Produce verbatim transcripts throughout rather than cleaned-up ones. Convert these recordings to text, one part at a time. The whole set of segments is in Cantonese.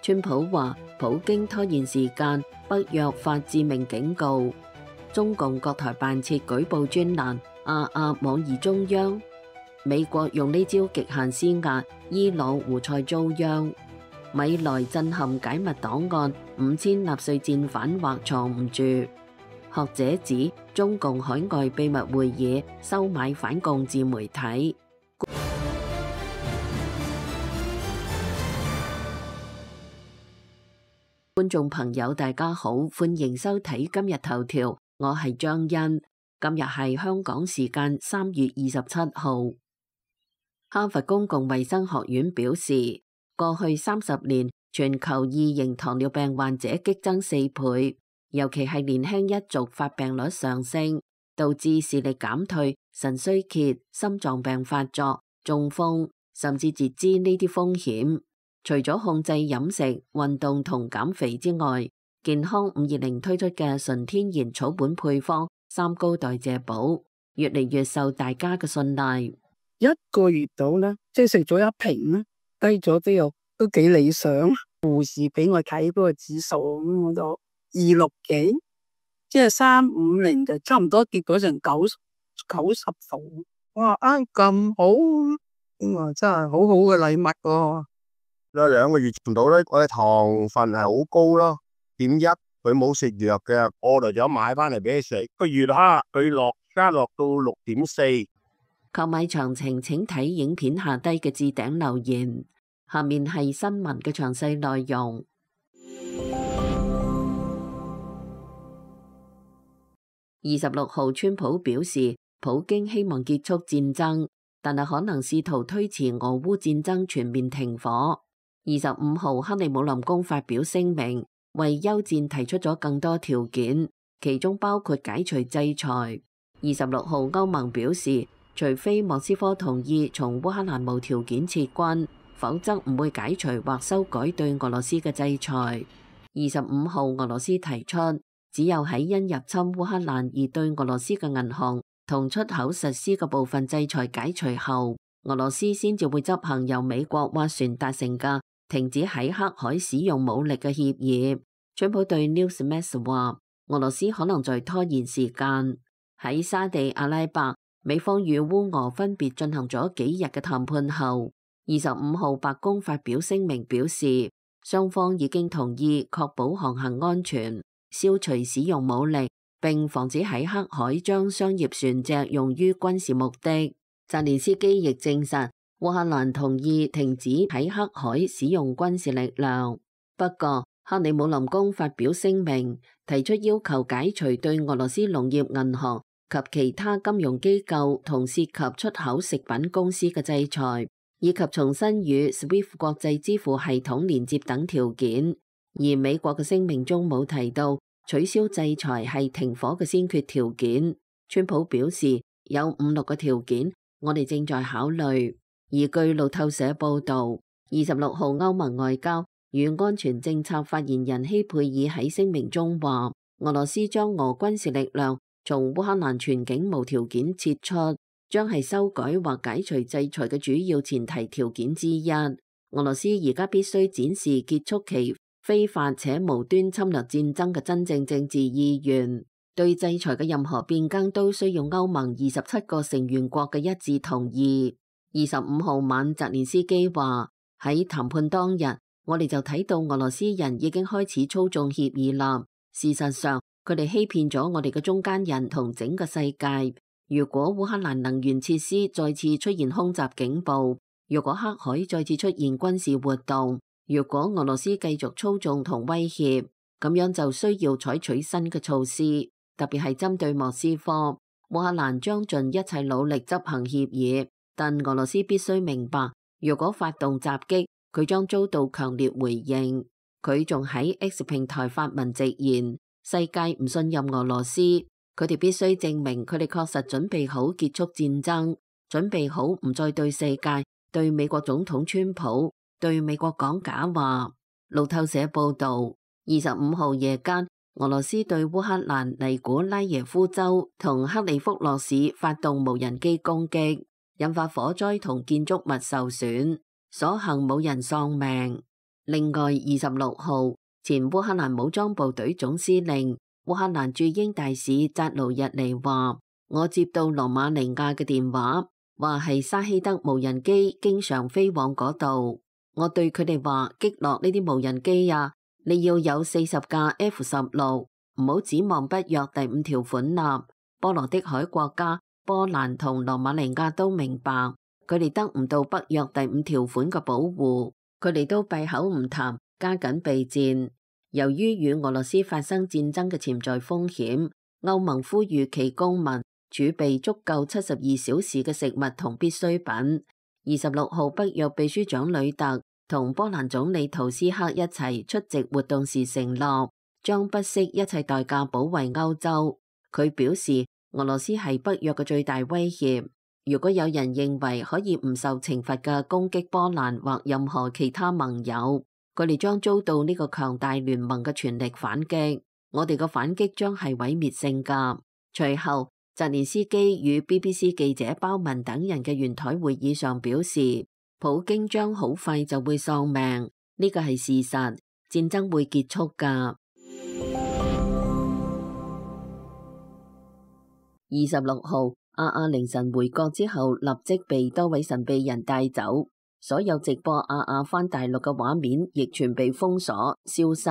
川普話普京拖延時間，北約發致命警告。中共各台辦設舉報專欄，啊啊妄議中央。美國用呢招極限施壓，伊朗胡塞遭殃。米萊震撼解密檔案，五千納粹戰犯或藏唔住。學者指中共海外秘密會議收買反共自媒體。觀眾朋友大家好，歡迎收睇今日頭條，我係張欣。今日係香港時間三月二十七號。哈佛公共衛生學院表示，過去三十年全球二型糖尿病患者激增四倍，尤其係年輕一族發病率上升，導致視力減退、腎衰竭、心臟病發作、中風，甚至截肢呢啲風險。除咗控制飲食、運動同減肥之外，健康五二零推出嘅純天然草本配方三高代謝寶，越嚟越受大家嘅信賴。一個月到啦，即係食咗一瓶啦，低咗之後都幾理想。護士俾我睇嗰個指數，咁我就二六幾，即係三五零就差唔多結果成九九十度。我話啊咁好，咁啊真係好好嘅禮物喎。有兩個月唔到咧，我嘅糖分係好高咯，點一佢冇食藥嘅，我嚟咗買翻嚟俾你食。個月哈佢落加落到六點四。購買詳情請睇影片下低嘅置頂留言。下面係新聞嘅詳細內容。二十六號，川普表示，普京希望結束戰爭，但係可能試圖推遲俄烏戰爭全面停火。二十五號，克里姆林宮發表聲明，為休戰提出咗更多條件，其中包括解除制裁。二十六號，歐盟表示，除非莫斯科同意從烏克蘭無條件撤軍，否則唔會解除或修改對俄羅斯嘅制裁。二十五號，俄羅斯提出，只有喺因入侵烏克蘭而對俄羅斯嘅銀行同出口實施嘅部分制裁解除後，俄羅斯先至會執行由美國斡旋達成嘅停止喺黑海使用武力嘅協議。川普對 Newsmax 話，俄羅斯可能在拖延時間。喺沙地阿拉伯，美方與烏俄分別進行咗幾日嘅談判後，二十五號白宮發表聲明表示，雙方已經同意確保航行安全，消除使用武力，並防止喺黑海將商業船隻用於軍事目的。澤連斯基亦證實，烏克蘭同意停止喺黑海使用軍事力量。不過，克里姆林宮發表聲明，提出要求解除對俄羅斯農業銀行及其他金融機構同涉及出口食品公司嘅制裁，以及重新與 SWIFT 國際支付系統連接等條件。而美國嘅聲明中冇提到取消制裁係停火嘅先決條件。川普表示有五六個條件，我哋正在考慮。而據路透社報道，二十六號歐盟外交與安全政策發言人希佩爾喺聲明中話，俄羅斯將俄軍事力量從烏克蘭全境無條件撤出，將係修改或解除制裁嘅主要前提條件之一。俄羅斯而家必須展示結束其非法且無端侵略戰爭嘅真正政治意願。對制裁嘅任何變更都需要歐盟二十七個成員國嘅一致同意。二十五號晚，澤連斯基話，喺談判當日，我哋就睇到俄羅斯人已經開始操縱協議啦。事實上，佢哋欺騙咗我哋嘅中間人同整個世界。如果烏克蘭能源設施再次出現空襲警報，如果黑海再次出現軍事活動，如果俄羅斯繼續操縱同威脅，咁樣就需要採取新嘅措施，特別係針對莫斯科。烏克蘭將盡一切努力執行協議。但俄羅斯必須明白，如果發動襲擊，佢將遭到強烈回應。佢仲喺 X 平台發文直言，世界唔信任俄羅斯，佢哋必須證明佢哋確實準備好結束戰爭，準備好唔再對世界、對美國總統川普、對美國講假話。路透社報道，二十五號夜間，俄羅斯對烏克蘭尼古拉耶夫州同克里福諾市發動無人機攻擊，引發火災同建築物受損，所幸冇人喪命。另外，二十六號，前烏克蘭武裝部隊總司令、烏克蘭駐英大使扎盧日尼話：我接到羅馬尼亞嘅電話，話係沙希德無人機經常飛往嗰度。我對佢哋話：擊落呢啲無人機啊，你要有四十架 F 十六，唔好指望北約第五條款啦。波羅的海國家波蘭同羅馬尼亞都明白，佢哋得唔到北約第五條款嘅保護，佢哋都閉口唔談，加緊備戰。由於與俄羅斯發生戰爭嘅潛在風險，歐盟呼籲其公民儲備足夠七十二小時嘅食物同必需品。二十六號，北約秘書長呂特同波蘭總理圖斯克一齊出席活動時承諾，將不惜一切代價保衛歐洲。佢表示，俄羅斯係北約嘅最大威脅。如果有人認為可以唔受懲罰嘅攻擊波蘭或任何其他盟友，佢哋將遭到呢個強大聯盟嘅全力反擊。我哋嘅反擊將係毀滅性㗎。隨後，澤連斯基與 B B C 記者鮑文等人嘅圓台會議上表示，普京將好快就會喪命，呢個係事實，戰爭會結束㗎。二十六號，阿阿凌晨回國之後，立即被多位神秘人帶走，所有直播阿阿返大陸嘅畫面亦全被封鎖消失。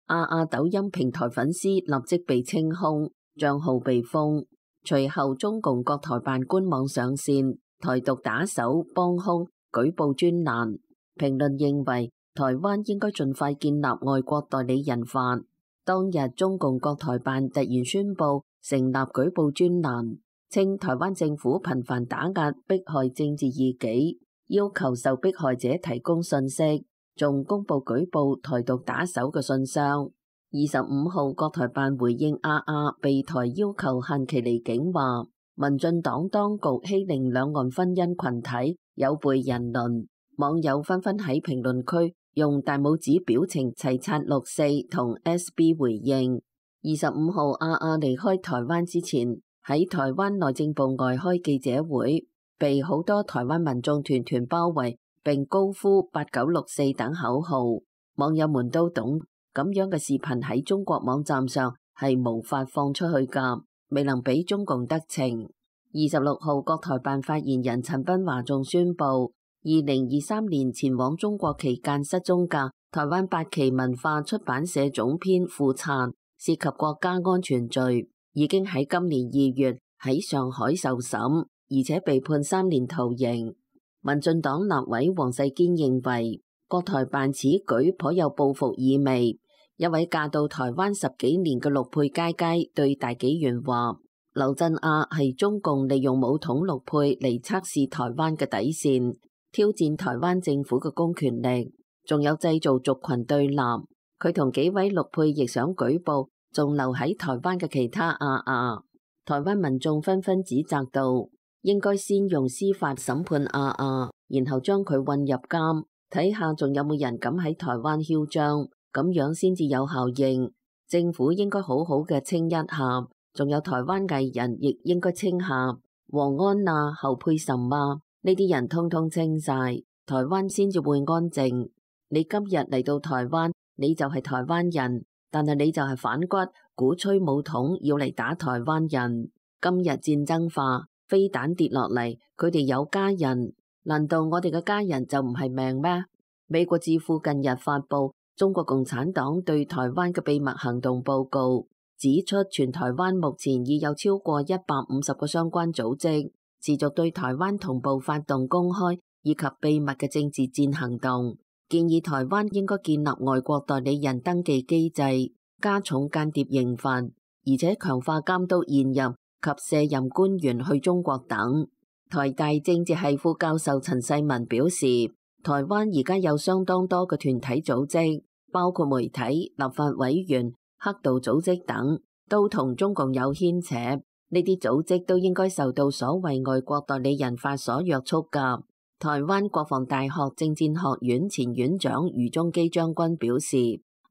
阿阿抖音平台粉絲立即被清空，賬號被封。隨後，中共國台辦官網上線，台獨打手幫兇舉報專欄。評論認為，台灣應該盡快建立外國代理人法。當日，中共國台辦突然宣布成立舉報專欄，稱台灣政府頻繁打壓迫害政治異己，要求受迫害者提供信息，仲公布舉報台獨打手嘅信箱。二十五號，國台辦回應阿阿被台要求限期離境，話民進黨當局欺凌兩岸婚姻群體，有悖人倫。網友紛紛喺評論區用大拇指表情齊刷六四同 S B 回應。二十五號，阿阿離開台灣之前，喺台灣內政部外開記者會，被好多台灣民眾團團包圍，並高呼八九六四等口號。網友們都懂，咁樣嘅視頻喺中國網站上係無法放出去㗎，未能俾中共得逞。二十六號，國台辦發言人陳斌華仲宣布，二零二三年前往中國期間失蹤嘅台灣八旗文化出版社總編傅燦，涉及國家安全罪，已經喺今年二月喺上海受審，而且被判三年徒刑。民進黨立委黃世堅認為，國台辦此舉頗有報復意味。一位嫁到台灣十幾年嘅陸配佳佳對大紀元話，劉振亞係中共利用武統陸配嚟測試台灣嘅底線，挑戰台灣政府嘅公權力，仲有製造族群對立。佢同幾位陸配亦想舉報仲留喺台灣嘅其他阿阿。台灣民眾紛紛指責道，應該先用司法審判阿阿，然後將佢運入監，睇下仲有冇人敢喺台灣囂張。咁樣先至有效應，政府應該好好嘅清一下，仲有台灣藝人亦應該清下，黃安啊、侯佩岑啊，呢啲人通通清晒，台灣先至會安靜。你今日嚟到台灣，你就係台灣人，但係你就係反骨，鼓吹武統要嚟打台灣人。今日戰爭化，飛彈跌落嚟，佢哋有家人，難道我哋嘅家人就唔係命咩？美國智庫近日發佈中國共產黨對台灣嘅秘密行動報告，指出全台灣目前已有超過一百五十個相關組織，持續對台灣同步發動公開以及秘密嘅政治戰行動，建議台灣應該建立外國代理人登記機制，加重間諜刑罰，而且強化監督現任及卸任官員去中國等。台大政治系副教授陳世文表示，台灣而家有相當多嘅團體組織，包括媒體、立法委員、黑道組織等，都同中共有牽扯。呢啲組織都應該受到所謂外國代理人法所約束㗎。台灣國防大學政戰學院前院長余宗基將軍表示，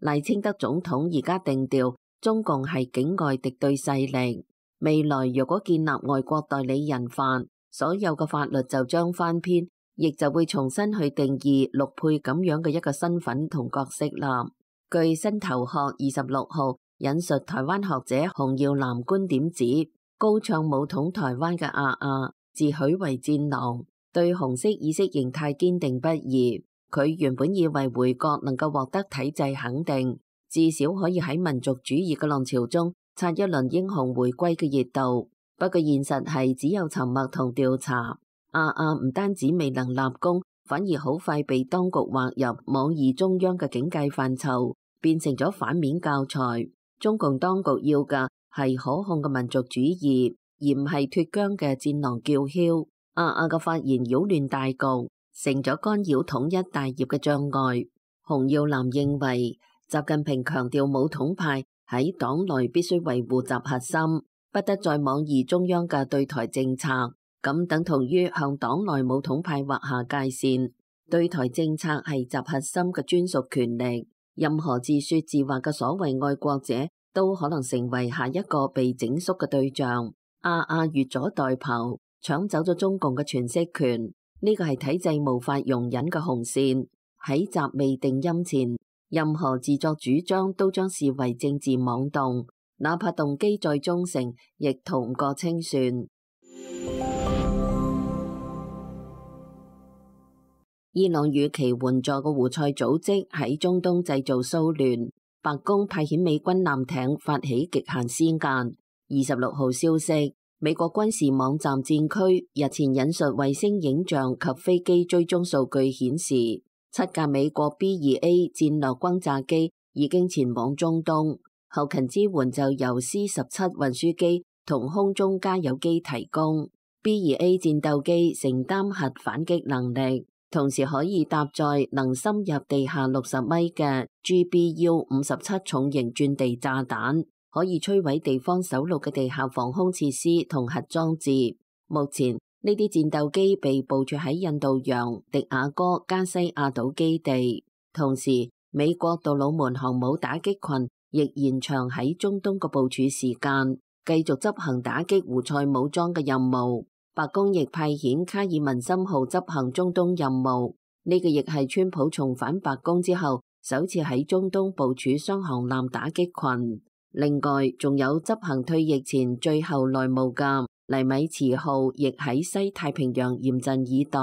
賴清德總統而家定調中共係境外敵對勢力，未來若果建立外國代理人法，所有嘅法律就將翻篇。亦就會重新去定義陸配咁樣嘅一個身份同角色啦。據新頭殼二十六號引述台灣學者洪耀南觀點指，高唱武統台灣嘅阿阿自詡為戰狼，對紅色意識形態堅定不移。佢原本以為回國能夠獲得體制肯定，至少可以喺民族主義嘅浪潮中擦一輪英雄回歸嘅熱度。不過現實係只有沉默同調查。阿阿唔單止未能立功，反而好快被當局劃入妄議中央嘅警戒範疇，變成咗反面教材。中共當局要嘅係可控嘅民族主義，而唔係脫韁嘅戰狼叫囂。阿阿嘅發言擾亂大局，成咗干擾統一大業嘅障礙。洪耀南認為，習近平強調武統派喺黨內必須維護習核心，不得再妄議中央嘅對台政策，咁等同於向黨內武統派劃下界線。對台政策係習核心嘅專屬權力，任何自說自話嘅所謂愛國者都可能成為下一個被整肅嘅對象。阿阿越俎代庖，搶走咗中共嘅詮釋權，呢個係體制無法容忍嘅紅線。喺習未定音前，任何自作主張都將視為政治妄動，哪怕動機再忠誠，亦逃唔過清算。伊朗與其援助嘅胡塞組織喺中東製造騷亂，白宮派遣美軍艦艇發起極限施壓。二十六號消息，美國軍事網站戰區日前引述衛星影像及飛機追蹤數據顯示，七架美國 B 二 A 戰略轟炸機已經前往中東，後勤支援就由 C 十七運輸機同空中加油機提供。B 二 A 戰鬥機承擔核反擊能力，同時可以搭載能深入地下六十米嘅 G B U 五十七重型鑽地炸彈，可以摧毀地方首陸嘅地下防空設施同核裝置。目前呢啲戰鬥機被部署喺印度洋迪亞哥加西亞島基地，同時美國杜魯門航母打擊群亦延長喺中東嘅部署時間，繼續執行打擊胡塞武裝嘅任務。白宮亦派遣卡爾文森號執行中東任務，呢、這個亦係川普重返白宮之後首次喺中東部署雙航艦打擊群。另外，仲有執行退役前最後內務嘅尼米茨號亦喺西太平洋嚴陣以待，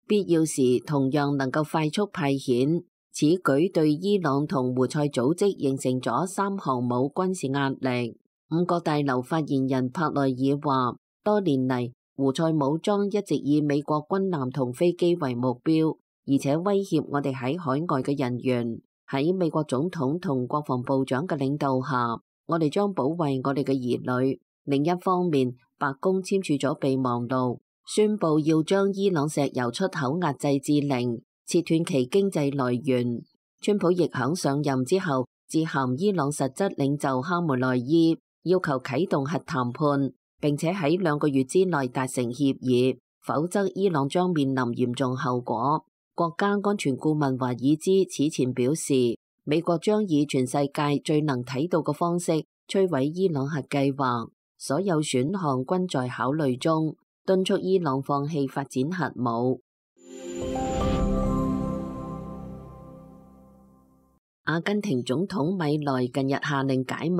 必要時同樣能夠快速派遣。此舉對伊朗同胡塞組織形成咗三航母軍事壓力。五角大樓發言人帕內爾話，多年嚟胡塞武裝一直以美國軍艦同飛機為目標，而且威脅我哋喺海外嘅人員。喺美國總統同國防部長嘅領導下，我哋將保衛我哋嘅兒女。另一方面，白宮簽署咗備忘錄，宣布要將伊朗石油出口壓制至零，切斷其經濟來源。川普亦響上任之後致函伊朗實質領袖哈梅內伊，要求啟動核談判，並且喺兩個月之內達成協議，否則伊朗將面臨嚴重後果。國家安全顧問華爾茲此前表示，美國將以全世界最能睇到嘅方式摧毀伊朗核計劃。所有選項均在考慮中，敦促伊朗放棄發展核武。阿根廷總統米萊近日下令解密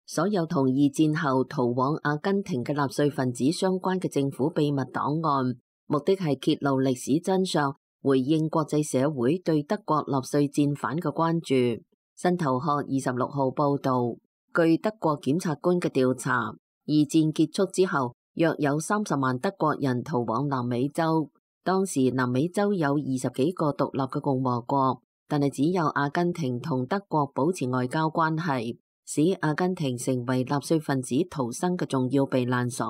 所有同二戰後逃往阿根廷嘅納粹分子相關嘅政府秘密檔案，目的係揭露歷史真相，回應國際社會對德國納粹戰犯嘅關注。新頭殼二十六號報道，據德國檢察官嘅調查，二戰結束之後，約有三十萬德國人逃往南美洲。當時南美洲有二十幾個獨立嘅共和國，但係只有阿根廷同德國保持外交關係，使阿根廷成為納粹分子逃生嘅重要避難所。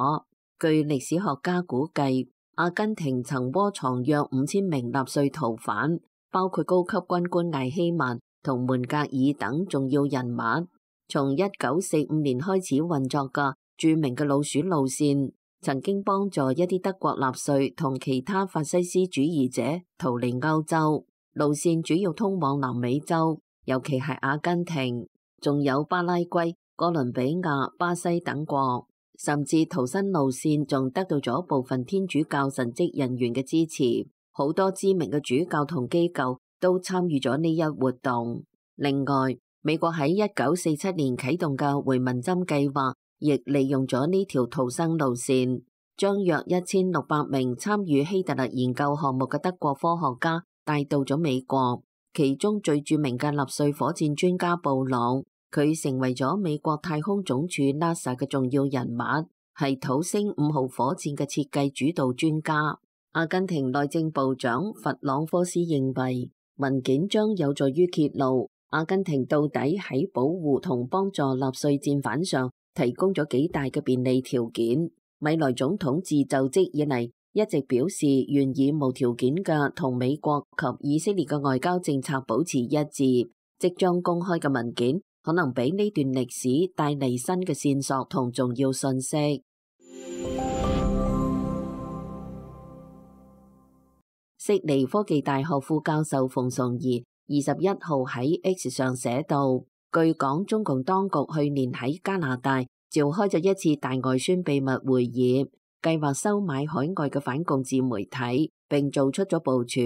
據歷史學家估計，阿根廷曾窩藏約五千名納粹逃犯，包括高級軍官艾希曼同門格爾等重要人物。從一九四五年開始運作嘅著名嘅老鼠路線，曾經幫助一啲德國納粹同其他法西斯主義者逃離歐洲。路線主要通往南美洲，尤其係阿根廷，仲有巴拉圭、哥倫比亞、巴西等國。甚至逃生路線仲得到咗部分天主教神職人員嘅支持。好多知名嘅主教同機構都參與咗呢一活動。另外，美國喺一九四七年啟動嘅回民針計劃，亦利用咗呢條逃生路線，將約一千六百名參與希特勒研究項目嘅德國科學家帶到咗美國。其中最著名嘅納粹火箭專家布朗，佢成為咗美國太空總署 NASA 嘅重要人物，係土星五號火箭嘅設計主導專家。阿根廷內政部長弗朗科斯認為，文件將有助於揭露阿根廷到底喺保護同幫助納粹戰犯上提供咗幾大嘅便利條件。米萊總統自就職以嚟，一直表示願意無條件嘅同美國及以色列嘅外交政策保持一致。即將公開嘅文件可能俾呢段歷史帶嚟新嘅線索同重要信息。悉尼科技大學副教授馮崇儀二十一號喺 X 上寫道，據講中共當局去年喺加拿大召開咗一次大外宣秘密會議，計劃收買海外嘅反共自媒體，並做出咗部署。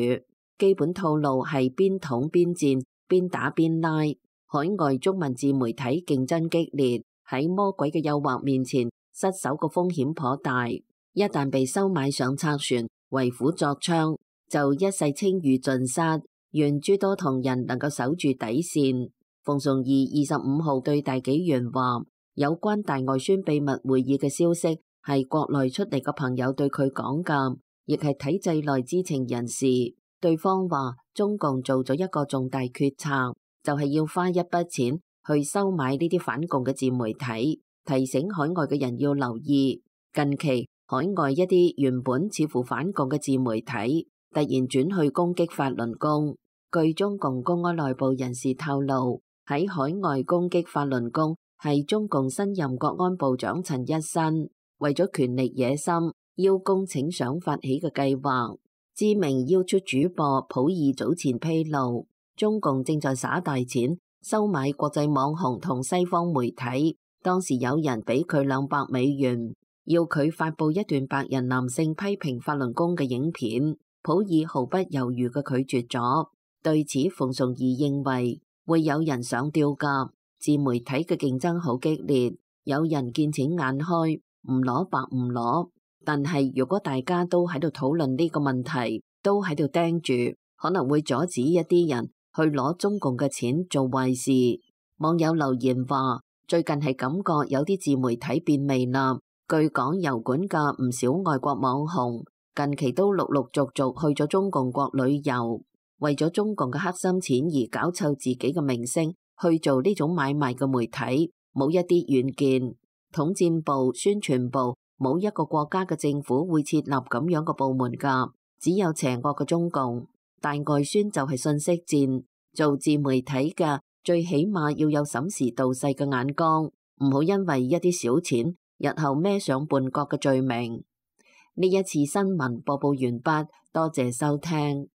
基本套路係邊統邊戰，邊打邊拉。海外中文自媒體競爭激烈，喺魔鬼嘅誘惑面前，失手嘅風險頗大。一旦被收買上賊船，為虎作倀，就一世清譽盡失。願諸多同仁能夠守住底線。馮崇義二十五號對大紀元話，有關大外宣秘密會議嘅消息係國內出嚟嘅朋友對佢講㗎，亦係體制內知情人士。對方話中共做咗一個重大決策，就係要花一筆錢去收買呢啲反共嘅自媒體，提醒海外嘅人要留意。近期海外一啲原本似乎反共嘅自媒體突然轉去攻擊法輪功。據中共公安內部人士透露，喺海外攻擊法輪功係中共新任國安部長陳一新為咗權力野心邀功請賞發起嘅計劃。知名 YouTube 主播普爾早前披露，中共正在耍大錢收買國際網紅同西方媒體。當時有人俾佢兩百美元，要佢發佈一段白人男性批評法輪功嘅影片，普爾毫不猶豫嘅拒絕咗。對此，馮崇義認為會有人上吊㗎。自媒體嘅競爭好激烈，有人見錢眼開，唔攞白唔攞。但係如果大家都喺度討論呢個問題，都喺度盯住，可能會阻止一啲人去攞中共嘅錢做壞事。網友留言話，最近係感覺有啲自媒體變味啦。據講油管嘅唔少外國網紅近期都陸陸續續去咗中共國旅遊，為咗中共嘅黑心錢而搞臭自己嘅名聲，去做呢種買賣嘅媒體，冇一啲遠見。統戰部、宣傳部，冇一個國家嘅政府會設立咁樣嘅部門㗎，只有邪惡嘅中共。大外宣就係信息戰，做自媒體嘅最起碼要有審時度勢嘅眼光，唔好因為一啲小錢，日後孭上叛國嘅罪名。呢一次新聞播報完畢，多謝收聽。